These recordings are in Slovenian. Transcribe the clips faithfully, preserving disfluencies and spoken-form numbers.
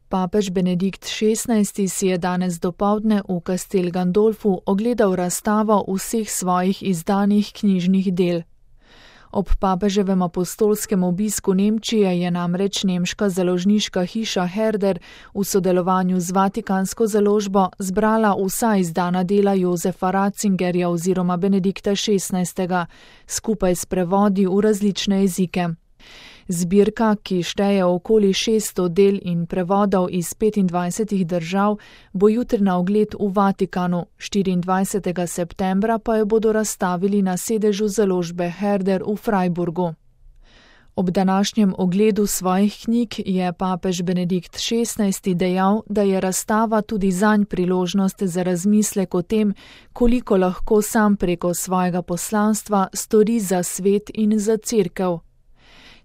Papež Benedikt šestnajsti si je danes dopoldne v Castel Gandolfu ogledal razstavo vseh svojih izdanih knjižnih del. Ob papeževem apostolskem obisku Nemčije je namreč nemška založniška hiša Herder v sodelovanju z vatikansko založbo zbrala vsa izdana dela Josefa Ratzingerja oziroma Benedikta šestnajstega, skupaj s prevodi v različne jezike. Zbirka, ki šteje okoli šeststo del in prevodov iz petindvajsetih držav, bo jutri na ogled v Vatikanu, štiriindvajsetega septembra pa jo bodo razstavili na sedežu založbe Herder v Freiburgu. Ob današnjem ogledu svojih knjig je papež Benedikt šestnajsti dejal, da je razstava tudi zanj priložnost za razmislek o tem, koliko lahko sam preko svojega poslanstva stori za svet in za cerkev.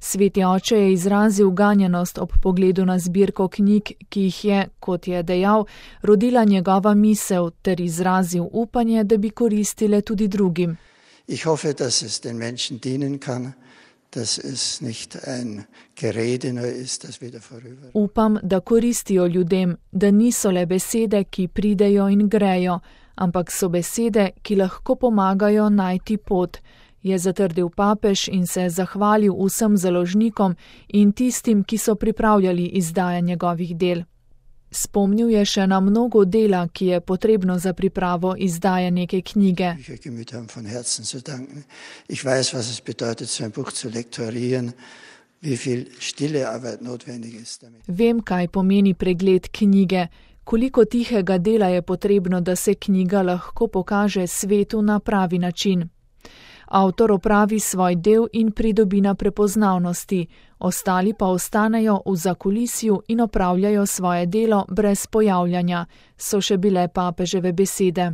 Sveti oče je izrazil ganjenost ob pogledu na zbirko knjig, ki jih je, kot je dejal, rodila njegova misel, ter izrazil upanje, da bi koristile tudi drugim. Ich hoffe, dass es den Menschen dienen kann, dass es nicht ein Gerede nur ist, das wieder vorüber. Upam, da koristijo ljudem, da niso le besede, ki pridejo in grejo, ampak so besede, ki lahko pomagajo najti pot, je zatrdil papež in se zahvalil vsem založnikom in tistim, ki so pripravljali izdaje njegovih del. Spomnil je še na mnogo dela, ki je potrebno za pripravo izdaje neke knjige. Ich weiß, was es bedeutet, so ein Buch zu lektorieren, wie viel stille Arbeit notwendig ist damit. Vem, kaj pomeni pregled knjige, koliko tihega dela je potrebno, da se knjiga lahko pokaže svetu na pravi način. Avtor opravi svoj del in pridobi na prepoznavnosti, ostali pa ostanejo v zakulisju in opravljajo svoje delo brez pojavljanja, so še bile papeževe besede.